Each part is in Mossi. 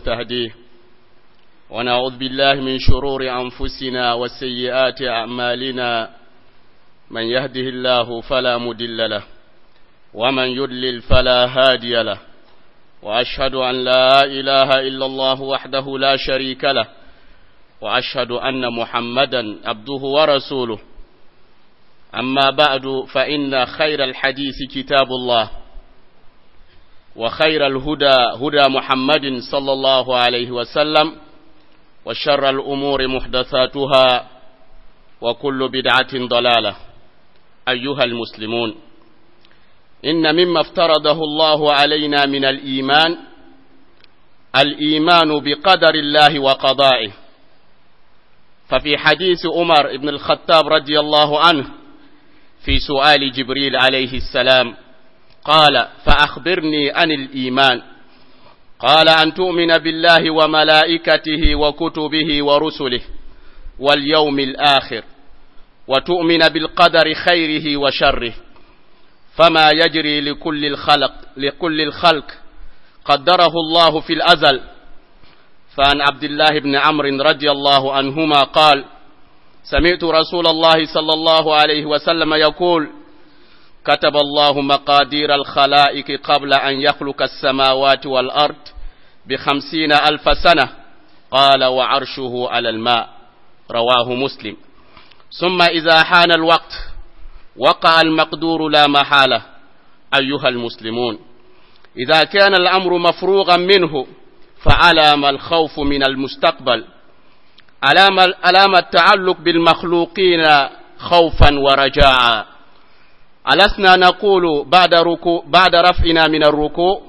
ونستهديه، ونعوذ بالله من شرور أنفسنا وسيئات أعمالنا. من يهده الله فلا مدل له، ومن يضلل فلا هادي له. وأشهد أن لا إله إلا الله وحده لا شريك له، وأشهد أن محمدا عبده ورسوله. أما بعد، فإن خير الحديث كتاب الله، وخير الهدى هدى محمد صلى الله عليه وسلم، وشر الأمور محدثاتها، وكل بدعة ضلالة. أيها المسلمون، إن مما افترضه الله علينا من الإيمان الإيمان بقدر الله وقضائه. ففي حديث عمر بن الخطاب رضي الله عنه في سؤال جبريل عليه السلام قال: فأخبرني عن الإيمان. قال: أن تؤمن بالله وملائكته وكتبه ورسله واليوم الآخر، وتؤمن بالقدر خيره وشره. فما يجري لكل الخلق قدره الله في الأزل. فعن عبد الله بن عمرو رضي الله عنهما قال: سمعت رسول الله صلى الله عليه وسلم يقول: كتب الله مقادير الخلائق قبل أن يخلق السماوات والأرض ب50,000 سنة. قال: وعرشه على الماء. رواه مسلم. ثم إذا حان الوقت وقع المقدور لا محالة. أيها المسلمون، إذا كان الأمر مفروغا منه فعلى ما الخوف من المستقبل؟ علام التعلق بالمخلوقين خوفا ورجاء؟ ألسنا نقول بعد رفعنا من الركوع: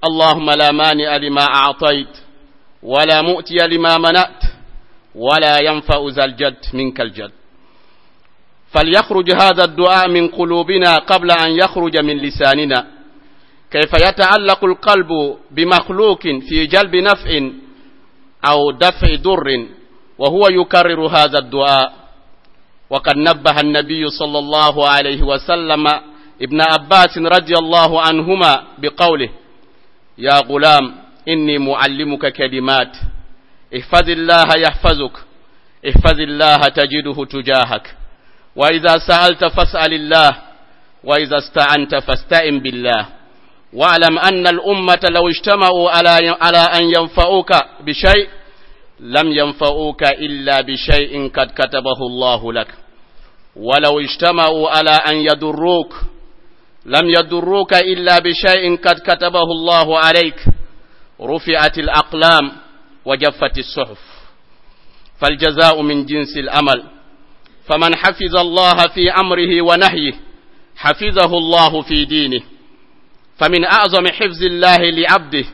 اللهم لا مانع لما أعطيت، ولا مؤتي لما منعت، ولا ينفع ذا الجد منك الجد؟ فليخرج هذا الدعاء من قلوبنا قبل أن يخرج من لساننا. كيف يتعلق القلب بمخلوق في جلب نفع أو دفع ضر وهو يكرر هذا الدعاء؟ وقد نبه النبي صلى الله عليه وسلم ابن عباس رضي الله عنهما بقوله: يا غلام، إني معلمك كلمات، احفظ الله يحفظك، احفظ الله تجده تجاهك، وإذا سألت فاسأل الله، وإذا استعنت فاستعن بالله. واعلم أن الأمة لو اجتمعوا على أن ينفعوك بشيء لم ينفعوك إلا بشيء قد كتبه الله لك، ولو اجتمعوا على أن يضروك لم يضروك إلا بشيء قد كتبه الله عليك. رفعت الأقلام وجفت الصحف. فالجزاء من جنس الأمل. فمن حفظ الله في أمره ونهيه حفظه الله في دينه. فمن أعظم حفظ الله لعبده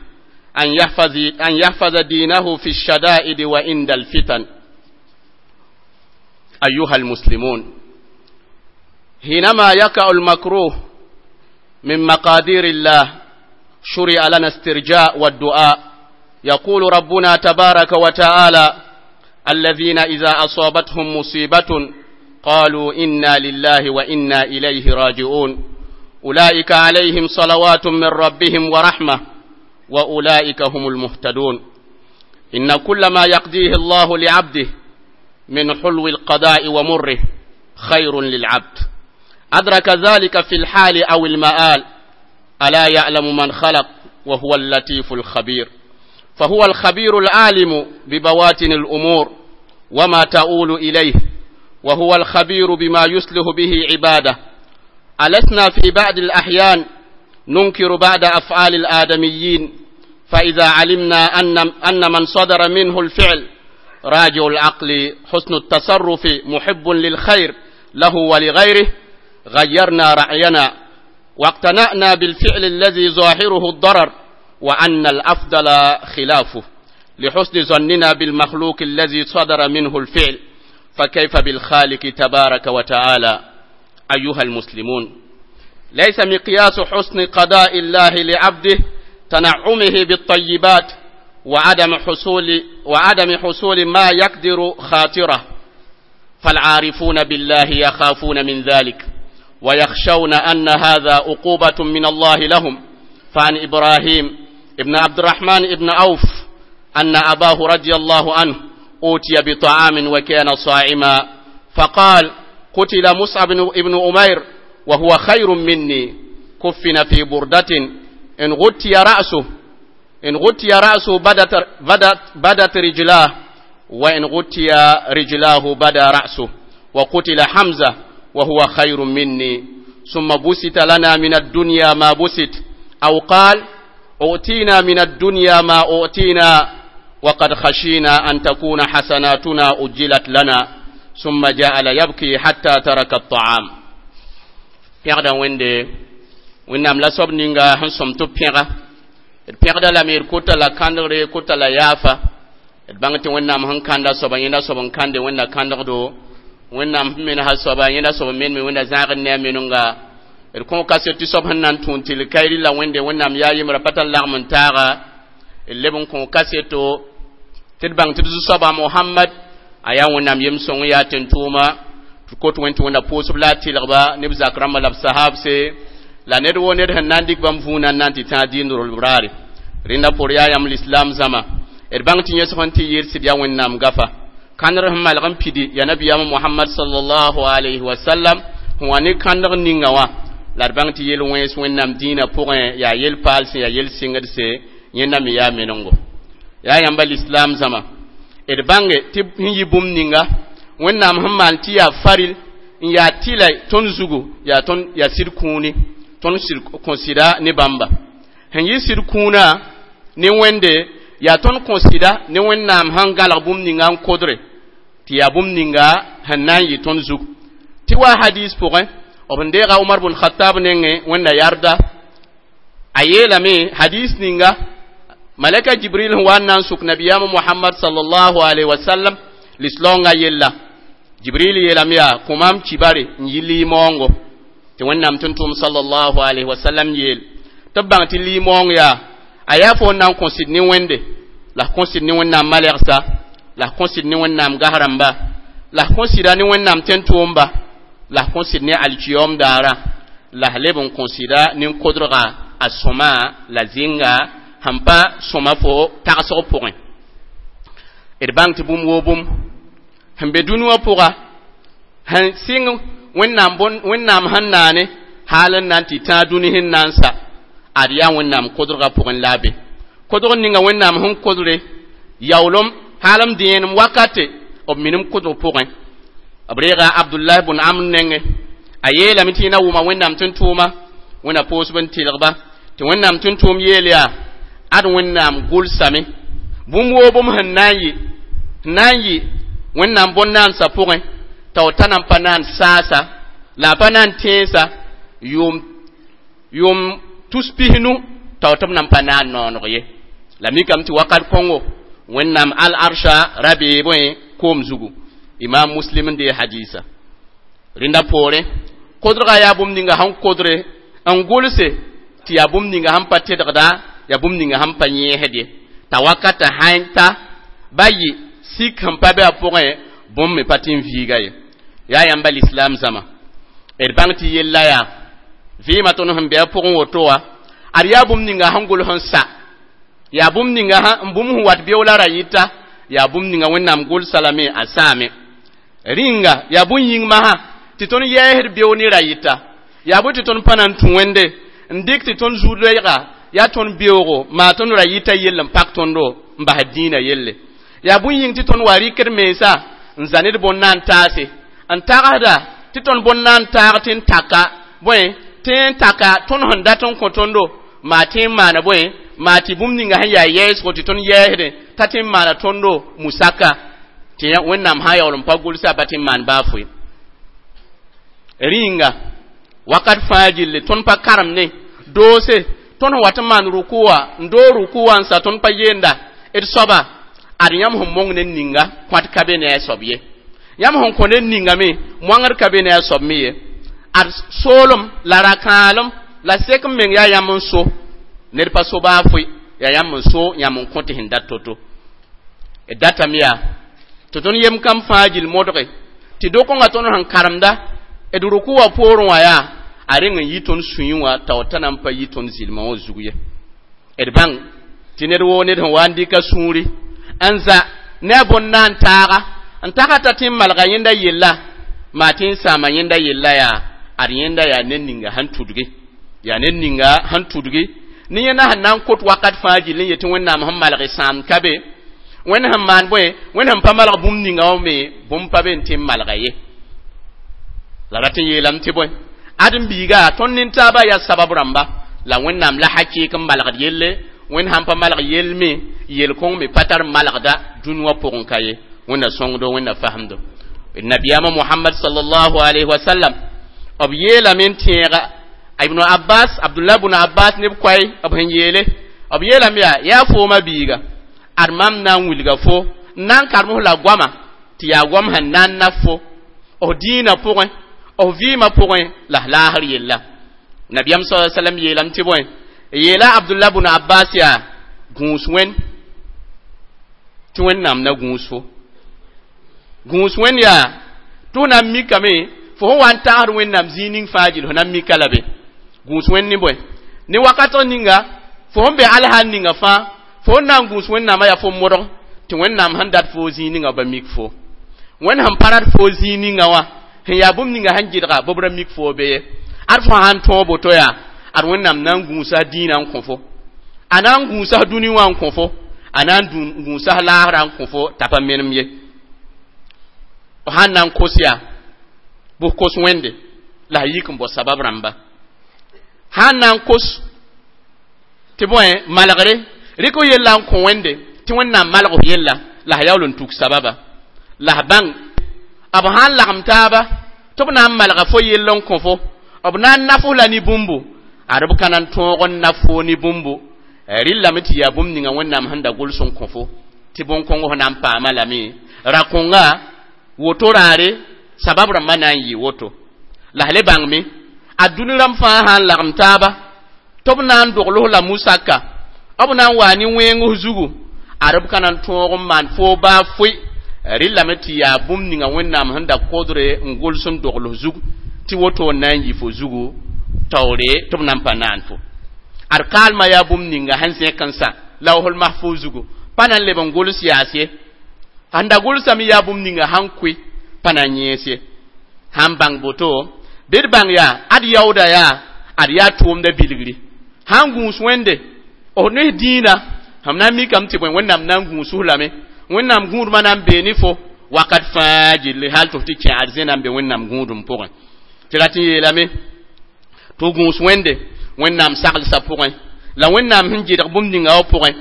أن يحفظ دينه في الشدائد وعند الفتن. أيها المسلمون، حينما يقع المكروه من مقادير الله شرع لنا استرجاء والدعاء. يقول ربنا تبارك وتعالى: الذين إذا أصابتهم مصيبة قالوا إنا لله وإنا إليه راجعون، أولئك عليهم صلوات من ربهم ورحمة، وأولئك هم المهتدون. إن كل ما يقضيه الله لعبده من حلو القضاء ومره خير للعبد، أدرك ذلك في الحال أو المآل. ألا يعلم من خلق وهو اللطيف الخبير؟ فهو الخبير العالم ببواطن الأمور وما تؤول إليه، وهو الخبير بما يصلح به عباده. ألسنا في بعض الأحيان ننكر بعض أفعال الآدميين؟ فإذا علمنا أن من صدر منه الفعل راجع العقل، حسن التصرف، محب للخير له ولغيره، غيرنا رأينا واقتنعنا بالفعل الذي ظاهره الضرر وأن الأفضل خلافه، لحسن ظننا بالمخلوق الذي صدر منه الفعل، فكيف بالخالق تبارك وتعالى؟ أيها المسلمون، ليس مقياس حسن قضاء الله لعبده تنعمه بالطيبات وعدم حصول ما يكدر خاطره، فالعارفون بالله يخافون من ذلك ويخشون أن هذا عقوبة من الله لهم. فعن إبراهيم ابن عبد الرحمن ابن عوف أن أباه رضي الله عنه أوتي بطعام وكان صائما، فقال: قتل مصعب بن أمير وهو خير مني، كفن في بردة إن غطي رأسه، إن غطي رأسه بدت رجلاه، وإن غطي رجلاه بدا رأسه، وقتل حمزة وهو خير مني، ثم بسط لنا من الدنيا ما بسط، أو قال: أؤتينا من الدنيا ما أؤتينا، وقد خشينا أن تكون حسناتنا أجلت لنا، ثم جعل يبكي حتى ترك الطعام. Pẽgda Wẽnde, Wẽnnaam la soab ninga sẽn sõm tɩ b pẽga d pẽgda lame, d kota la kãndgre, kota la yaafa. D bãng tɩ Wẽnnaam sẽn kãnda soaba, yẽnda soab n kãnde Wẽnna kãndgdo. Wẽnnaam sẽn mensa soaba, yẽnda soab n menme Wẽnda zãagd ne a menenga. D kõ kaset tɩ soab sẽn na n tũun tɩl kairi la Wẽnde, Wẽnnaam yaa yembra pa tar lagm n taaga. D leb n kõ kaseto tɩ d bãng tɩ d zu-soaba Mohamad a yaa Wẽnnaam yem-sõng, yaa tẽn-tʋʋma. Tɩ kot Wẽn tɩ Wẽnna pʋʋsb la a tɩlgba ne b zak rãmba la b sahabse la ned woo ned sẽn na n dɩk bãmb vũunã n na n tɩ tãag dĩin rolb raare. Rẽnda pʋr yaa yãmb lislaam zãma, d bãng tɩ yẽsg n tɩ yɩɩd sɩd yaa Wẽnnaam gafa kãndr sẽn malg n pidi ya nabiyaam Mohamad sallallahu alayhi wa sallam sẽn wa ne kãndg ninga wã. La d bãng tɩ yel wẽns Wẽnnaam dĩinã pʋgẽ yaa yel-paal sẽn yaa yel-sɩngdse, yẽnda me yaa menengo. Yaa yãmba lislaam zãma, d bãnge tɩ sẽn yɩ bũmb ninga Wẽnnaam sẽn maan tɩ yaa faril n yaa tɩla tõnd zugu, yaa tõnd yaa sɩd kũuni, tõnd sɩd kõ sɩda ne bãmba. Sẽn yɩ sɩd kũunã ne Wẽnde, yaa tõnd kõ sɩda ne Wẽnnaam sẽn gãlg bũmb ninga n kodre tɩ yaa bũmb ninga sẽn na n yɩ tõnd zug. Tɩ wa hadis pʋgẽ, b n deega Omar bn Khatab nengẽ, Wẽnda yarda, a yeelame hadis ninga malaka Jibril sẽn wa n na n sʋk nabiyaam Mohamad sallallahu alaihi wasallam lislaoongã yella. Jibril yeelame yaa kõ maam kibare n yi liimoongo tɩ Wẽnnaam tʋm-tʋʋm sallallahu alaihi wasallam yeel tɩ b bãng tɩ liimoong yaa a yaa fo n na n kõ sɩd ne Wẽnde, la f kõ sɩd ne Wẽnnaam malɛgsa, la f kõ sɩd ne Wẽnnaam gas rãmba, la f kõ sɩda ne Wẽnnaam tẽn-tʋʋmba, la f kõ sɩd ne alkiyom daara, la f leb n kõ sɩda nin-kodrga a sõma la zĩnga sẽn pa sõma fo tagsg pʋgẽ. D bãng tɩ bũmb woo bũmb sẽn be dũni wã pʋga sẽn sɩng Wẽnnaam Wẽnnaam sẽn naane haal n na n tɩ tãag dũni sẽn na n sa, ad yaa Wẽnnaam kodrgã pʋgẽ la a be kodg ninga Wẽnnaam sẽn kodre yaoolem haal m dẽenem wakate b minim kodg pʋgẽ. B reega Abdullahi bʋn Amr nengẽ, a yeelame tɩ yẽ na wʋma Wẽnnaam tʋm-tʋʋma, Wẽnna poosb n tɩlgba tɩ Wẽnnaam tʋm-tʋʋm yeel yaa ad Wẽnnaam gʋlsame bũmb woo bũmb sẽn na n yɩ, sẽn na n yɩ Wẽnnaam bõn-naandsã pʋgẽ t'a w ta na n pa naan saasa la a pa na n tẽensa yʋʋm tus pisnu t'a w tɩ b na n pa naan nooneg ye. La mikame tɩ wakat kõngo Wẽnnaam al-arsha ra beebẽ koom zugu. Imam Muslim n dee hadisa. Rẽnda poorẽ, kodrga yaa bũmb ninga sẽn kodre n gʋlse tɩ yaa bũmb ninga sẽn pa tedgda, yaa bũmb ninga sẽn pa yẽesd ye, t'a wakata sãn ta ba yɩ sik sẽn pa be a pʋgẽ, bũmb me pa tɩ n viiga ye. Yaa yãmba lislaam zãma, d bãng tɩ yella yaa vɩɩmã tõnd sẽn be a pʋgẽ woto wã, ad yaa bũmb ninga sẽn gʋls n sa, yaa bũmb ninga n bũmb sẽn wat beoola ra yɩta, yaa bũmb ninga Wẽnnaam gʋlsa lame a saame. Rĩnga yaa bũn yĩng masã tɩ tõnd yɛɛsd beo ne ra yɩta, yaa bõe tɩ tõnd pa na n tũ Wẽnde n dɩk tɩ tõnd zu-loɛɛga yaa tõnd beoogo maa tõnd ra yɩta yell n pak tõndo n basd dĩinã yelle. Yaa bũn yĩng tɩ tõnd wa rɩkd mensa n za ned bõn-naan taase n tagsda tɩ tõnd bõn-naan taag tɩ n taka bõe tɩ n taka tõnd sẽn dat n kõ tõndo maa tɩ n maana bõe maa tɩ bũmb ninga sẽn yaa yɛɛsgo tɩ tõnd yɛɛsdẽ t'a tɩ n maana tõndo musaka tɩ Wẽnnaam sã yaool n pa gʋlsa pa tɩ n maan baa foe. Rĩnga wakat fãa gilli tõnd pa karem ne doose tõnd sẽn wat n maan rukuwa n doog rukuwa n sa, tõnd pa yeenda d soaba ad yãmb sẽn mong ned ninga kõat ka be ne a soab ye, yãmb sẽn kõ ned ninga me moangd ka be ne a soab me ye. Ad soolem la ra-kãalem la sek n meng yaa yãmb n so, ned pa so baa foe, yaa yãmb n so, yãmb n kõ tɩ sẽn dat to-to. D datame yaa tɩ tõnd yem kam fãa gill modge tɩ do-kõngã tõnd sẽn karemda d ruku wã poorẽ wã yaa a reng n yi tõnd sũyẽ wã t'a w ta na n pa yi tõnd zɩlmã wã zug ye. D bãng tɩ ned woo ned sẽn wa n dɩka sũuri N za ne a bõn-na n taaga n tagta tɩ n malga yẽnda yella maa tɩ n sãama yẽnda yella yaa ad yẽnda yaa ned ninga sẽn tudgi, yaa ned ninga sẽn tudgi ne yẽnda sẽn na n kot wakat fãa gill n yetɩ Wẽnnaam sẽn malg sãam ka be, Wẽnd sẽn maan bõe, Wẽnd sẽn pa malg bũmb ninga wã me bũmb pa be n tɩ n malga ye. La rat n yeelame tɩ bõe, ãdem-biiga tõnd nin-taabã yaa sabab rãmba la Wẽnnaam la hakɩɩk n malgd yelle. Wẽnd sãn pa malg yell me, yel-kõng me pa tar malgda dũni wã pʋgẽ ka ye. Wẽnna sõngdo, Wẽnna fasemdo. Nabiyaamã Mohamad sallallahu alayhi wa sallam b yeelame n tẽega Ibnu Abbas, Abdullah bn Abbas neb koɛɛ b sẽn yeele, b yeelame yaa: yaa foomã biiga, ad mam na n wilga fo n na n karem f la goama tɩ yaa goam sẽn na n naf fo f dĩinã pʋgẽ, f vɩɩmã pʋgẽ la f laasr yella. Nabiyaam sa sallam yeelame tɩ bõe, yeela Abdullah bn Abbas yaa: gũus Wẽnd tɩ Wẽnnaam na gũus fo. Gũus Wẽnd yaa tɩ f na n mikame fo sẽn wa n tagsd Wẽnnaam zĩig ning fãa gill, fo na n mika la be. Gũus Wẽnd ne bõe? Ne wakatg ninga fo sẽn be alhaal ninga fãa, fo sẽn na n gũus Wẽnnaamã yaa fo modg tɩ Wẽnnaam sẽn dat fo zĩig ninga ba mik fo. Wẽnd sẽn pa rat fo zĩig ninga wã sẽn yaa bũmb ninga sẽn gɩdga bɩ b ra mik fo be ye. Ad fo sãn tõog boto yaa ad Wẽnnaam na n gũusa dĩinã n kõ fo, a na n gũusa dũni wã n kõ fo, a na n gũusa laasrã n kõ fo t'a pa menem ye. F sãn na n kos yaa bʋ kos Wẽnde la a yik n bao sabab rãmba. Sãn na n kos tɩ bõe, malgre rɩk f yella n kõ Wẽnde tɩ Wẽnnaam malg f yella la a yaool n tuk sababa. La f bãng b sãn lagem taaba tɩ b na n malga fo yell n kõ fo, b na n naf f la ne bũmbu, ad b ka na n tõog n naf fo ne bũmbu. Rɩllame tɩ yaa bũmb ninga Wẽnnaam sẽn da gʋls n kõ fo tɩ bõn-kõng f na n paama lame ra-kõnga woto raare sabab rãmbã na n yɩ woto. La f le bãngme a dũni rãmb fãa sã n lagem taaba tɩ b na n dogl f la musaka, b na n waa ne wẽeng f zugu, ad b ka na n tõog n maan foo baa foe. Rɩllame tɩ yaa bũmb ninga Wẽnnaam sẽn da kodre n gʋls n dogl f zug tɩ woto n na n yɩ fo zugu taoore tɩ b na n pa naan fo. Ad kaalmã yaa bũmb ninga sẽn zẽk n sa lawsl mahfuz zugu pa na n leb n gʋls yaas ye. Sẽn da gʋlsame yaa bũmb ninga sãn koe pa na n yẽes ye. Sãn bãng boto bɩ d bãng yaa ad yaooda yaa ad yaa tʋʋmda bilgri. Sãn gũus Wẽnde f ne dĩinã, sẽm na n mikame tɩ bõe, Wẽnnaam na n gũus f lame. Wẽnnaam gũudmã na n bee ne fo wakat fãa gilli hal tɩ f tɩ kẽ arzẽna n be Wẽnnaam gũudum pʋgẽ. Tɩ rat n yeelame tɩ gũus Wẽnde Wẽnnaam saglsã pʋgẽ la Wẽnnaam sẽn gɩdg bũmb ninga wã pʋgẽ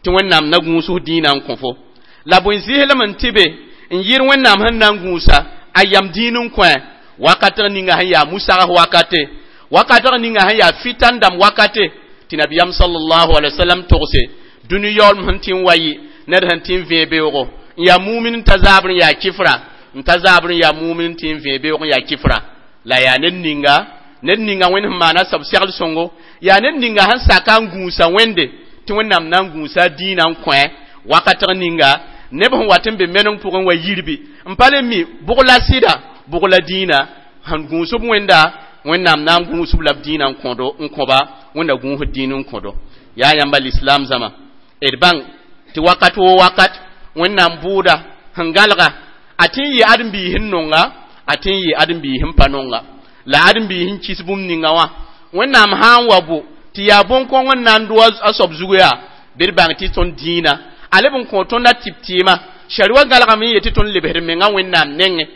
tɩ Wẽnnaam na gũus f dĩinã n kõ fo. La bõe zɩslem n tɩ be n yɩr Wẽnnaam sẽn na n gũusa a yam dĩin n kõ wakatg ninga sẽn yaa musag wakate, wakatg ninga sẽn yaa fitan dãmb wakate tɩ nabiyaam sallallahu alaihi wasallam togse dũni yaoolem sẽn tɩ n wa yɩ ned sẽn tɩ n vẽe beoogo n yaa mumin n ta zaabr n yaa kifra, n ta zaabr n yaa mumin n tɩ n vẽe beoog n yaa kifra. La yaa ned ninga, ned ninga Wẽnd sẽn maana sab segl sõngo, yaa ned ninga sẽn saka n gũusa Wẽnde tɩ Wẽnnaam na n gũusa dĩinã n kõ wakatg ninga neb sẽn wat n be meneng pʋgẽ wa yirbi n pa le mi bʋg la sɩda, bʋg la dĩinã. Sẽn gũusb Wẽnda, Wẽnnaam na n gũusb la b dĩinã n kõdo n kõba Wẽnda gũusd dĩin n kõdo. Yaa yãmba lislaam zãma, d bãng tɩ wakat woo wakat Wẽnnaam bʋʋda sẽn gãlga a tɩ n yɩ ãdem-biis n nonga, a tɩ n yɩ ãdem-biis n pa nonga la ãdem-biis n kis bũmb ninga wã. Wẽnnaam sã n wa bo tɩ yaa bõn-kõng n na n do a soab zugu yaa bɩ d bãng tɩ tõnd dĩinã a leb n kõ tõnd a tɩp tɩɩmã sari wã gãlgame n yetɩ tõnd lebsd menga Wẽnnaam nengẽ.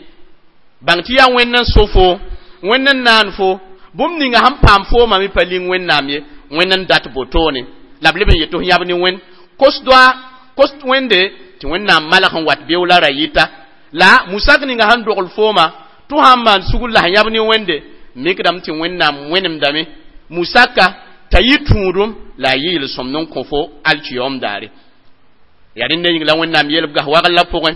Bãng tɩ yaa Wẽnd n so fo, Wẽnd n naan fo, bũmb ninga sẽn paam foomã me pa ling Wẽnnaam ye, Wẽnd n dat botoone la b leb n yet tɩ f yãb ne Wẽnd kos doa kos Wẽnde tɩ Wẽnnaam malg sẽn wat beoog la ra yɩta la musak ninga sẽn dogl fooma tɩ sãn maan sugr la sẽn yãb ne Wẽnde mikdame tɩ Wẽnnaam wẽnemdame musaka t'a yɩ tũudum la a yɩ yel-sõmd n kõ fo alkiyoom daare. Yaa rẽnd yĩng la Wẽnnaam yelb gas wagl la pʋgẽ.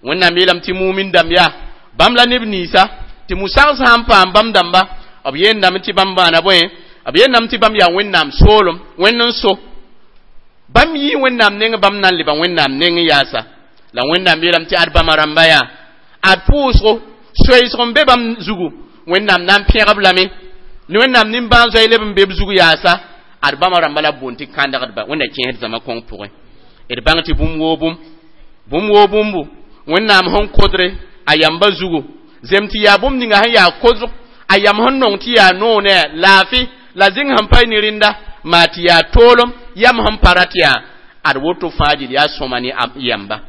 Wẽnnaam yeelame tɩ mumin dãmb yaa bãmb la neb ninsã tɩ musags sã n paam bãmb dãmba b yeendame tɩ bãmb maana bõe, b yeendame tɩ bãmb yaa Wẽnnaam soolem, Wẽnd n so bãmb yii Wẽnnaam neng, bãmb na n leba Wẽnnaam neng yaasa. La Wẽnnaam yeelame tɩ ad bãmba rãmba yaa ad pʋʋsgo soeesg n be bãmb zugu, Wẽnnaam na n pẽgb lame ne Wẽnnaam nimbãan-zoe leb n be b zug yaasa. Ad bãmba rãmba la b boond tɩ kãndgdba Wẽnna kẽesd zãma kõng pʋgẽ. D bãng tɩ bũmb woo bũmb Bũmb woo bũmbu Wẽnnaam sẽn kodre a yamba zugu, zem tɩ yaa bũmb ninga sẽn yaa kosg a yam sẽn nong tɩ yaa noog ne a laafɩ la zĩng sẽn pa ne rẽnda maa tɩ yaa toolem yam sẽn pa rat yaa ad woto fãa gil yaa sõma ne yamba.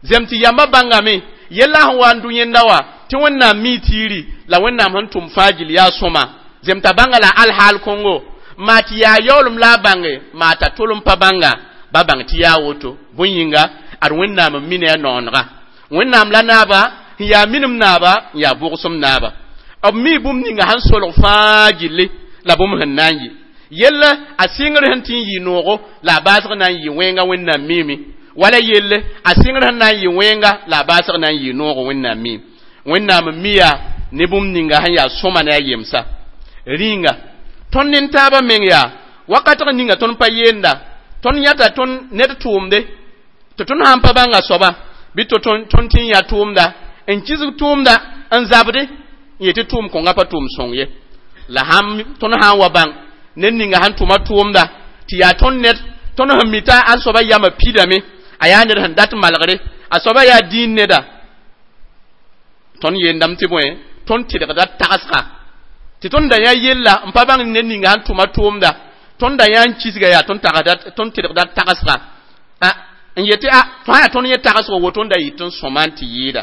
Zem tɩ yamba bãngame yella sẽn wa n dʋ yẽnda wa tɩ Wẽnnaam mi tiiri la Wẽnnaam sẽn tʋm fãa gil yaa sõma. Zem t'a bãnga la alhaal kõngo maa tɩ yaa yaoolem la a bãnge maa t'a tolem pa bãnga ba bãng tɩ yaa woto. Bõe yĩnga ad Wẽnnaam n mi ne a noonega. Wẽnnaam la naaba n yaa minim naaba n yaa bʋgsem naaba. B mi bũmb ninga sẽn solg fãa gilli la bũmb sẽn na n yɩ. Yella a sɩngr sẽn tɩ n yɩ noogo la a baasg na n yɩ wẽnga Wẽnnaam miime. Wala yelle a sɩngr sẽn na n yɩ wẽnga la a baasg na n yɩ noogo Wẽnnaam miime. Wẽnnaam n mi yaa ne bũmb ninga sẽn yaa sõma ne a yemsa. Rĩnga tõnd nin-taabã meng yaa wakatg ninga tõnd pa yeenda tõnd yãta tõnd ned tʋʋmde tɩ tõnd sãn pa bãnga soaba bɩ tɩ tõnd tɩ n yã tʋʋmda n kisg tʋʋmda n zabde n yetɩ tʋʋm kõnga pa tʋʋm sõng ye. La tõnd sã n wa bãng ned ninga sẽn tʋma tʋʋmda tɩ yaa tõnd ned tõnd sẽn mi t'a a soaba yamã pidame a yaa ned sẽn dat malgre a soaba yaa dĩin neda tõnd yeendame tɩ bõe tõnd tɩdgda tagsga tɩ tõnd da yã yella n pa bãng ned ninga sẽn tʋma tʋʋmda tõnd da yã n kisga yaa tõnd tɩdgda tagsga n yetɩ a tõa yaa tõnd yẽ tagsgo woto n da yɩ tɩ n sõma n tɩ yɩɩda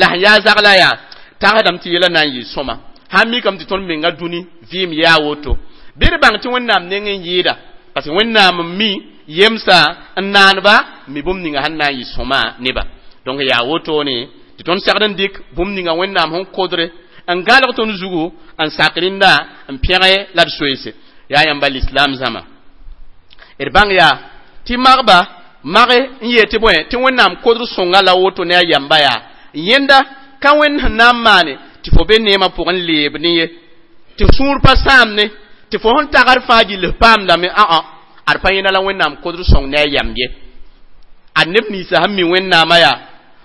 la sẽn yaa zagla yaa tagsdame tɩ yɛla na n yɩ sõma sãn mikame tɩ tõnd menga dũni vɩɩm yaa woto bɩ d bãng tɩ Wẽnnaam neng n yɩɩda parce que Wẽnnaam n mi yemsa n naanba mi bũmb ninga sẽn na n yɩ sõma neba. Donc yaa wotone tɩ tõnd segd n dɩk bũmb ninga Wẽnnaam sẽn kodre n gãlg tõnd zugu n sak rẽnda n pẽge la d soeese. Yaa yãmba l'islam zãma d bãng yaa tɩ magba mage n yeel tɩ bõe tɩ Wẽnnaam kodr sõnga la woto ne a yamba yaa yẽnda ka Wẽnd sẽn na n maane tɩ fo be neemã pʋgẽ leeb ne ye tɩ sũur pa sãam ne tɩ fo sẽn tagd fãa gill paamdame ã-ã ad pa yẽnda la Wẽnnaam kodr sõng ne a yam ye. Ad neb ninsã sẽn mi Wẽnnaamã yaa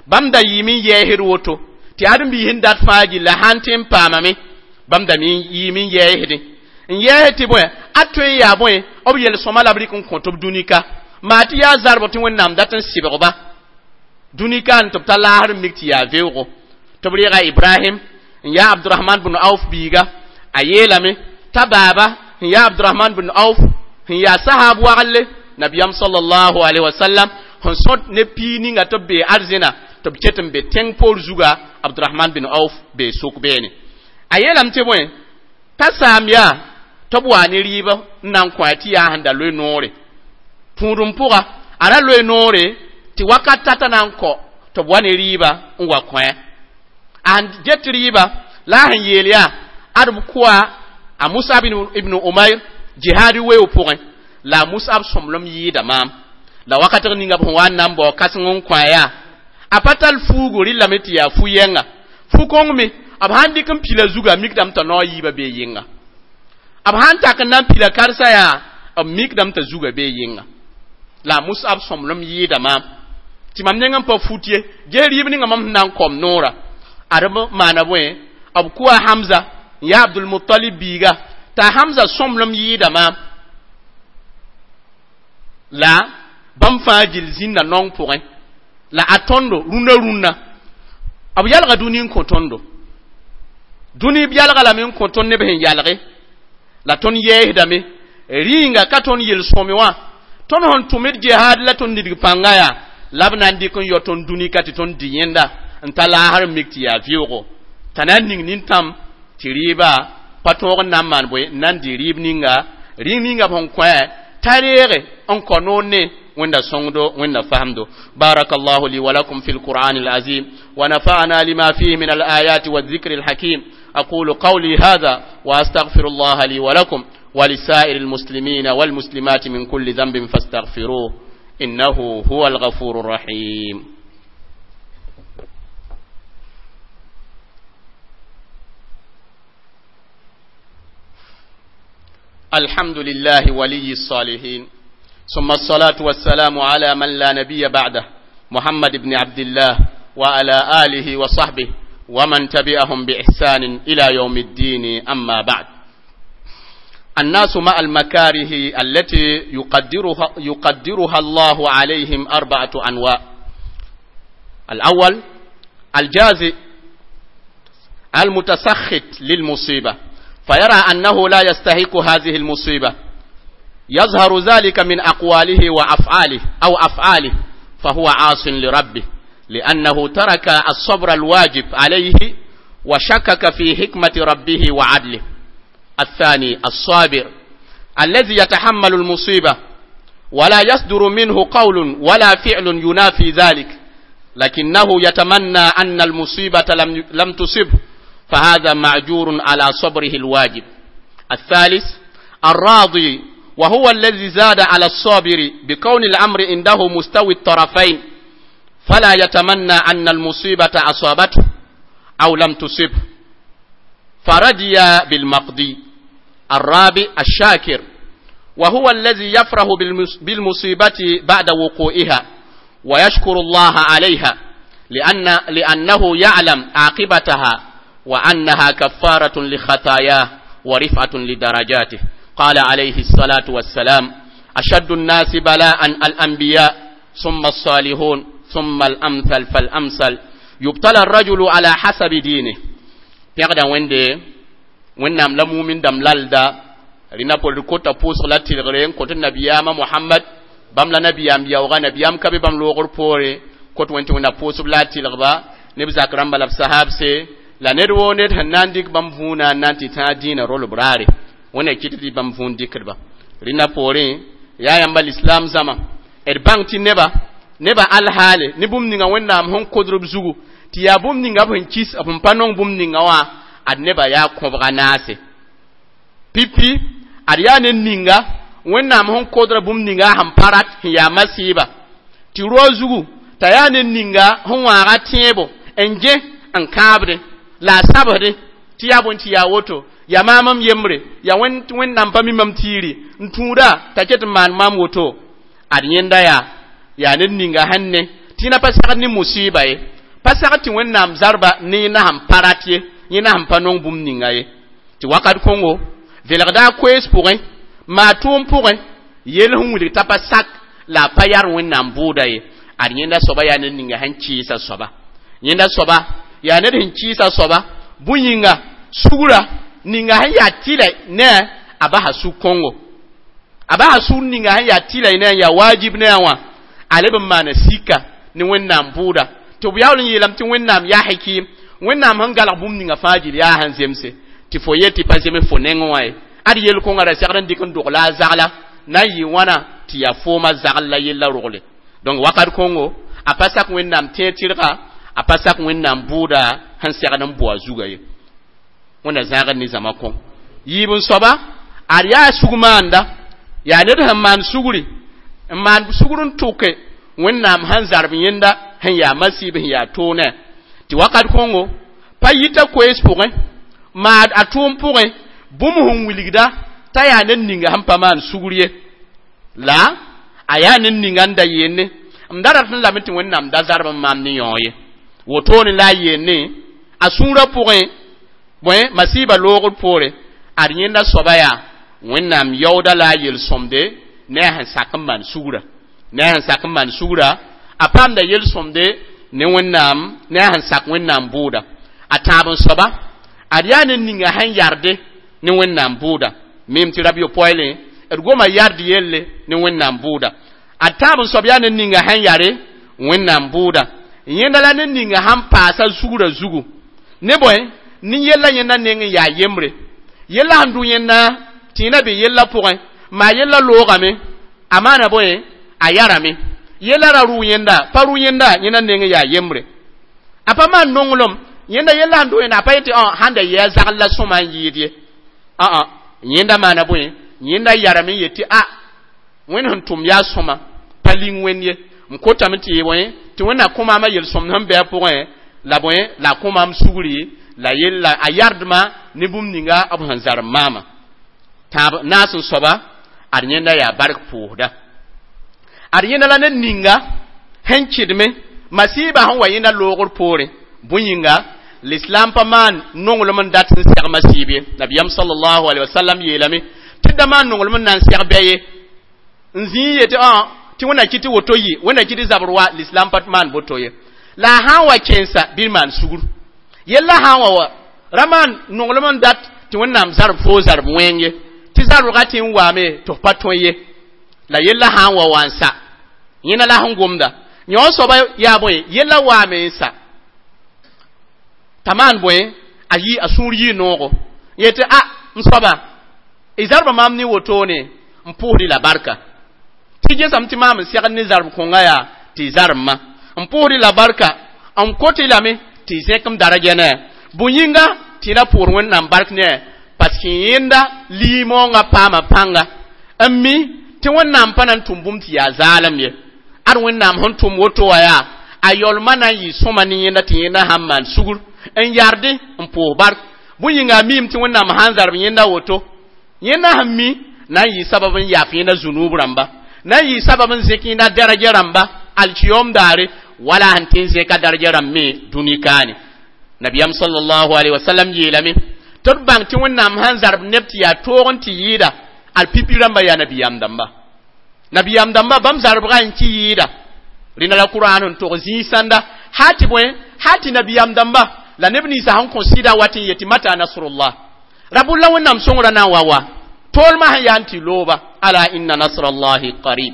bãmb da yɩɩm n yɛɛsd woto tɩ ãdem-biis sẽn dat fãa gilla sãn tɩ n paamame bãmb da yɩɩm n yɛɛsdẽ n yɛɛs tɩ bõe a tõe n yaa bõe b yel-sõma la b rɩk n kõt b dũnika maa tɩ yaa zarbg tɩ Wẽnnaam dat n sɩbgba dũnika n tɩ b ta laasr n mik tɩ yaa veoogo tɩ b reega Ibrahim n yaa Abdurahman bn Auf biiga a yeelame t'a baaba n yaa Abdurahman bn Auf n yaa sahaab waglle nabiyam sallallahu alaihi wasallam sẽn sõt ne pii ninga tɩ b bee arzẽna tɩ b ket n be tẽng poor zuga Abdurahman bin Auf bee sʋk beene. A yeelame tɩ bõe t'a saam yaa tɩ b waa ne rɩɩb n na n kõ a tɩ yaa sẽn da loe noore tũudem pʋga a ra loe noore tɩ wakat tata na n kɔ tɩ b wa ne rɩɩba n wa kõ a sẽn get rɩɩba la a sẽn yeel yaa ad b kʋa a Musab ibn Umayr jihaadi weoog pʋgẽ la a Musab sõmblem yɩɩda maam la wakatg ninga b sẽn wa n na n bao kãseng n kõ a yaa a pa tall fuugo rɩllame tɩ yaa fu-yɛnga fu-kõng me b sãn dɩk n pila zuga a mikdame t'a naoog yiibã bee yɩnga b sãn tak n na n pila karsa yaa b mikdame t'a zuga bee yɩnga la a Musab sõmblem yɩɩda maam tɩ mam neng n pa fut ye ges rɩɩb ninga mam sẽn na n kom noora ad b maana bõe b kʋa Hamza n yaa Abdulmutalib biiga t'a Hamza sõmblem yɩɩda maam la bãmb fãa gill zĩnda naong pʋgẽ la a tõndo rũndã rũnnã b yalga dũni n kõ tõndo dũni b yalga lame n kõ tõnd neb sẽn yalge la tõnd yɛɛsdame rĩnga ka tõnd yel-sõme wã tõnd sẽn tʋm d jihaad la tõnd nidg pãnga yaa la b na n dɩk n yao tõnd dũni ka tɩ tõnd dɩ yẽnda n ta laasr n mik tɩ yaa vɩoogo t'a na n ning nintãmb tɩ rɩɩba pa tõog n na n maan bõe n na n dɩ rɩɩb ninga rĩng ninga b sẽn kõ t'a reege n kõ noor ne wẽnda sõngdo wẽnda fahamdo. Barakallahu li wa lakum fi lqur'an alazim wa nafa'ana lima fihi min alayati والذكر الحكيم. أقول قولي هذا وأستغفر الله لي ولكم ولسائر المسلمين والمسلمات من كل ذنب فاستغفروه إنه هو الغفور الرحيم. الحمد لله ولي الصالحين، ثم الصلاة والسلام على من لا نبي بعده، محمد بن عبد الله وعلى آله وصحبه ومن تبعهم بإحسان إلى يوم الدين. أما بعد، الناس مع المكاره التي يقدرها الله عليهم 4 أنواع. الأول الجازئ المتسخط للمصيبة، فيرى أنه لا يستحق هذه المصيبة، يظهر ذلك من أقواله وأفعاله أو أفعاله، فهو عاص لربه لأنه ترك الصبر الواجب عليه وشكك في حكمة ربه وعدله. الثاني الصابر الذي يتحمل المصيبة ولا يصدر منه قول ولا فعل ينافي ذلك، لكنه يتمنى أن المصيبة لم تصبه، فهذا معجور على صبره الواجب. الثالث الراضي، وهو الذي زاد على الصابر بكون الأمر عنده مستوي الطرفين، فلا يتمنى أن المصيبة أصابته أو لم تصبه، فرضي بالمقضي. الرابع الشاكر، وهو الذي يفرح بالمصيبة بعد وقوعها ويشكر الله عليها لأنه يعلم عاقبتها وأنها كفارة لخطاياه ورفعة لدرجاته. قال عليه الصلاة والسلام: أشد الناس بلاء الأنبياء، ثم الصالحون، ثم الأمثل فالأمثل، يبتلى الرجل على حسب دينه. Pẽgda Wẽnde Wẽnnaam la mumin dãmb lalda rẽna pol kota pʋʋsg la tɩlgre n kõt nabiyaamã Mohamad bãmb la nabiyaam yaooga nabiyaam ka be bãmb loogr poore kot wẽn tɩ Wẽnna pʋʋsb la a tɩlgba neb zak rãmba la b sahabse la ned woo ned sẽn na n dɩk bãmb vũunã n na n tɩ tãag dĩinã rolb raare Wẽnna kɩt tɩ bãmb vũun dɩkdba rẽnna poorẽ yaa yãmba lislaam zãma d bãng tɩ neba alhaale ne bũmb ninga Wẽnnaam sẽn kodr b zugu tɩ yaa bũmb ninga b sẽn kis b sẽn pa nong bũmb ninga wã ad neba yaa kõbga naase pipi ad yaa ned ninga Wẽnnaam sẽn kodra bũmb ninga sẽn pa rat sẽn yaa masɩɩba tɩ roa zugu t'a yaa ned ninga sẽn wãaga tẽebo n gẽ n kãabdẽ la a sabsdẽ tɩ yaa bõe tɩ yaa woto yaa maam m yembre yaa Wẽnnaam pa mi mam tiiri n tũuda t'a ket n maan maam woto ad yẽnda yaa ned ninga sẽn ne tɩ na pa segd ne musɩɩba ye pa segd tɩ Wẽnnaam zarba ne yẽnda sẽn pa rat ye yẽnda sẽn pa nong bũmb ninga ye tɩ wakat kõngo velgda a koees pʋgẽ maa tʋʋm pʋgẽ yel sẽn wilg t'a pa sak la a pa yar Wẽnnaam bʋʋda ye ad yẽnda soaba yaa ned ninga sẽn kɩɩsa soaba yẽnda soaba yaa ned sẽn kɩɩsa soaba bõe yĩnga sugra ninga sẽn yaa tɩlɛ ne a basa sug kõngo a basa sug ninga sẽn yaa tɩlɛ ne n yaa wajib ne a wã a leb n maana sika ne Wẽnnaam bʋʋda tɩ b yaool n yeelame tɩ Wẽnnaam yaa hakim Wẽnnaam sẽn galg bũmb ninga fãa gill yaa sẽn zemse tɩ fo yet tɩ pa zems fo nengẽ wã ye ad yel-kõngã ra segd n dɩk n dogla a zagla na n yɩ wãna tɩ yaa foomã zagl la yella rogle donc wakat kõngo a pa sak Wẽnnaam tẽeg tɩrga a pa sak Wẽnnaam bʋʋda sẽn segd n bʋa zuga ye Wẽnna zãagd ne zãma kõ yiib n soaba ad yaa sug maanda yaa ned sẽn maan sugri n maan sugr n tʋke Wẽnnaam sẽn zarb yẽnda sẽn yaa masɩɩb sẽn yaa toonɛ tɩ wakat kõngo pa yita koees pʋgẽ maa a tʋʋm pʋgẽ bũmb sẽn wilgda t'a yaa ned ninga sẽn pa maan sugr ye la a yaa ned ninga n da yeenne m da rat n lame tɩ Wẽnnaam da zarb n maam ne yão ye wotone la a yeenne a sũurã pʋgẽ bõe masiiba loogr poore ad yẽnda soaba yaa Wẽnnaam yaooda la a yel-sõmde ne a sẽn sak n maan sugra ne a sẽn sak n maan sugra a paamda yel-sõmde ne Wẽnnaam ne a sẽn sak Wẽnnaam bʋʋda a tãab n soaba ad yaa ned ninga sẽn yarde ne Wẽnnaam bʋʋda mem tɩ rab yopoeelẽ d goma yard yelle ne Wẽnnaam bʋʋda a tãab n soab yaa ned ninga sẽn yare Wẽnnaam bʋʋda yẽnda la ned ninga sẽn paasa sugrã zugu ne bõe nin yella yẽnda neng n yaa yembre yella sẽn dʋ yẽnda tɩ na be yella pʋgẽ maa yella loogame a maana bõe a yarame yella ra rʋ yẽnda pa rʋ yẽnda yẽnda neng n yaa yembre a pa maan nonglem yẽnda yella sẽn dʋ yẽnda a pa yetɩ sãn da yɩ a zagl la sõma n yɩɩd ye yẽnda maana bõe yẽnda yarame n yetɩ a Wẽnd sẽn tʋm yaa sõma pa ling Wẽnd ye n kotame tɩ bõe tɩ Wẽnna kõ maamã yel-sõmd sẽn bɩ a pʋgẽ la bõe la a kõ maam sugri la yella a yardmã ne bũmb ninga b sẽn zarem maamã tãab naas n soaba ad yẽnda yaa bark pʋʋsda ad yẽnda la ned ninga sẽn kɩdme masiiba sẽn wa yẽnda loogr poorẽ bõe yĩnga l'islam pa maan nonglem n dat n seg masiib ye nabiyam sallallahu alaihi wasallam yeelame tɩ da maan nonglem n na n seg bɛ ye n zĩig yetɩ tɩ Wẽnna kɩ tɩ woto yɩ Wẽnna kɩ tɩ zabr wa l'islam pa maan boto ye La a sã n wa kẽnsa bɩ d maan sugr yella sã n wa wa ra maan nonglem n dat tɩ Wẽnnaam zarb foo zarb wẽng ye tɩ zarbga tɩ n waame tɩ f pa tõe ye. La yella sã n wa wa n sa yẽna la sẽn gomda yõ soaba yaa bõe yella waame n sa t'a maan bõe a yi a sũur yɩ noogo yetɩ a n soaba y zarba maam ne wotone n pʋʋsdɩ la barka tɩ gesame tɩ maam n segd ne zarb kõnga yaa tɩ y zarbmã n pʋʋsdɩ la barka n kot-y lame tɩ y zẽk m daraja ne bũ yĩnga tɩ y ra pʋʋs Wẽnnaam bark ne parce que yẽnda liimoongã paama pãnga n mi tɩ Wẽnnaam pa na n tʋm bũmb tɩ yaa zaalem ye. Ad Wẽnnaam sẽn tʋm woto wã yaa a yaoolmã na n yɩ sõma ne yẽnda tɩ yẽnda sãn maan sugr n yarde n pʋʋs bark bũ yĩnga a miime tɩ Wẽnnaam sãn zarb yẽnda woto yẽnda sẽn mi na n yɩ sabab n yaaf yẽnda zũnuub rãmba na n yɩ sabab n zẽk yẽnda daraja rãmba alkiyom daare wala sẽn tɩ n zẽka daraja rãmb me dũni kaane. Nabiyam sallallahu alaihi wasallam yeelame tɩ d bãng tɩ Wẽnnaam sãn zarb neb tɩ yaa toog n tɩ yɩɩda al pipi rãmba yaa nabiyaam dãmba nabiyaam dãmba bãmb zarbgã n kɩ yɩɩda rẽna la Kur'an n tog zĩig sãnda hal tɩ bõe hal tɩ nabiyaam dãmba la neb ninsã sẽn kõ sɩda wat n yetɩ mata nasrullah rabulla Wẽnnaam sõngrã na n wa wa toolmã sẽn yaa n tɩ looba ala inna nasrallahi qarib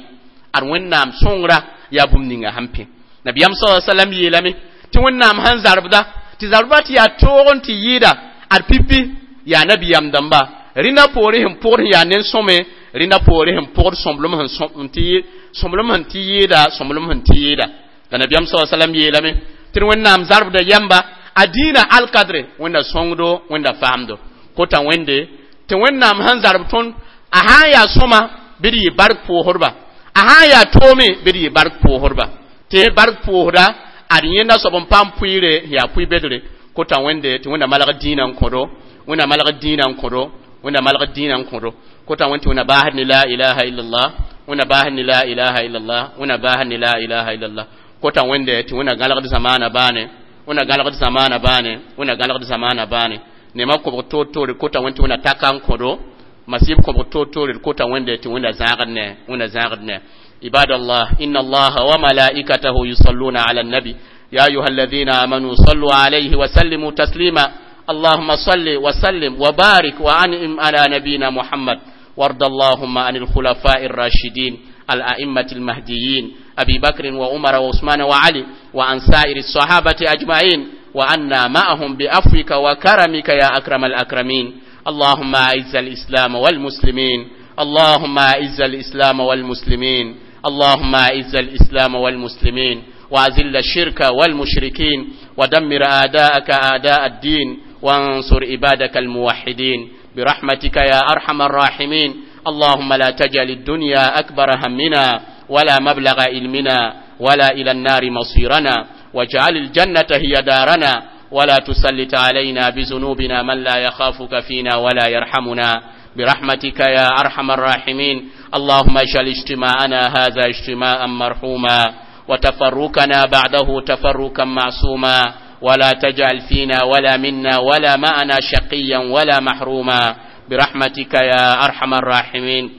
ad Wẽnnaam sõngra yaa bũmb ninga sẽn pẽ. Nabiyam sa sallam yeelame tɩ Wẽnnaam sẽn zarbda tɩ zarbã tɩ yaa toog n tɩ yɩɩda ad pipi yaa nabiyaam dãmba rẽnda poore sẽn pʋgd sẽn yaa nen-sõme rẽnda poore sẽn pʋgd sõmblem sẽn tɩ sõmblem sẽn tɩ yɩɩda sõmblem sẽn tɩ yɩɩda la nabiyam sa sallam yeelame tɩ d Wẽnnaam zarbda yãmba a dĩinã alkadre Wẽnda sõngdo Wẽnda faamdo kota Wẽnde tɩ Wẽnnaam sẽn zarb tõnd a sã n yaa sõma bɩ d yɩ bark pʋʋsdba a sã n yaa toome bɩ d yɩ bark pʋʋsdba tɩ bark pʋʋsda ad yẽnda soab n paam pʋɩɩre yaa pʋɩ-bedre kota Wẽnde tɩ Wẽnda malg dĩinã n kõdo Wẽnda malg dĩinã n kõdo Wẽnda malg dĩinã n kõdo kota Wẽnd tɩ Wẽnda baasd ne la ilaha illallah Wẽnda baasd ne la ilaha illallah Wẽnda baasd ne la ilaha illallah kota Wẽnde tɩ Wẽnda gãlgd zamaana baane Wẽnda gãlgd zamaana baane Wẽnda gãlgd zamaana baane nema kobg toor-toore kota Wẽnd tɩ Wẽnda taka n kõdo masib kobg toor-toore kota Wẽnde tɩ Wẽnda zãagd ne Wẽnda zãagd ne. عباد الله إن الله وملائكته يصلون على النبي يا أيها الذين آمنوا صلوا عليه وسلموا تسليما اللهم صل وسلم وبارك وأنعم على نبينا محمد وارض اللهم عن الخلفاء الراشدين الأئمة المهديين أبي بكر وعمر وعثمان وعلي وعن سائر الصحابة أجمعين وعنا معهم بعفوك وكرمك يا أكرم الأكرمين. اللهم أعز الإسلام والمسلمين، اللهم أعز الإسلام والمسلمين، اللهم أعز الإسلام والمسلمين، وأذل الشرك والمشركين، ودمر أعداءك أعداء الدين، وانصر عبادك الموحدين برحمتك يا أرحم الراحمين. اللهم لا تجعل الدنيا أكبر همنا ولا مبلغ علمنا ولا إلى النار مصيرنا، واجعل الجنة هي دارنا، ولا تسلط علينا بذنوبنا من لا يخافك فينا ولا يرحمنا برحمتك يا أرحم الراحمين. اللهم اجعل اجتماعنا هذا اجتماعا مرحوما، وتفرقنا بعده تفرقا معصوما، ولا تجعل فينا ولا منا ولا معنا شقيا ولا محروما برحمتك يا أرحم الراحمين.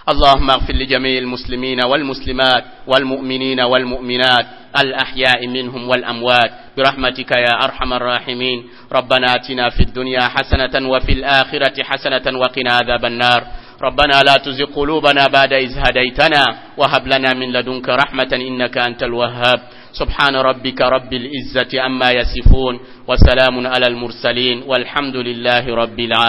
اللهم اغفر لجميع المسلمين والمسلمات والمؤمنين والمؤمنات الأحياء منهم والأموات برحمتك يا أرحم الراحمين. ربنا آتنا في الدنيا حسنة وفي الآخرة حسنة وقنا عذاب النار. ربنا لا تزغ قلوبنا بعد إذ هديتنا وهب لنا من لدنك رحمة إنك أنت الوهاب. سبحان ربك رب العزة عما يصفون وسلام على المرسلين والحمد لله رب العالمين.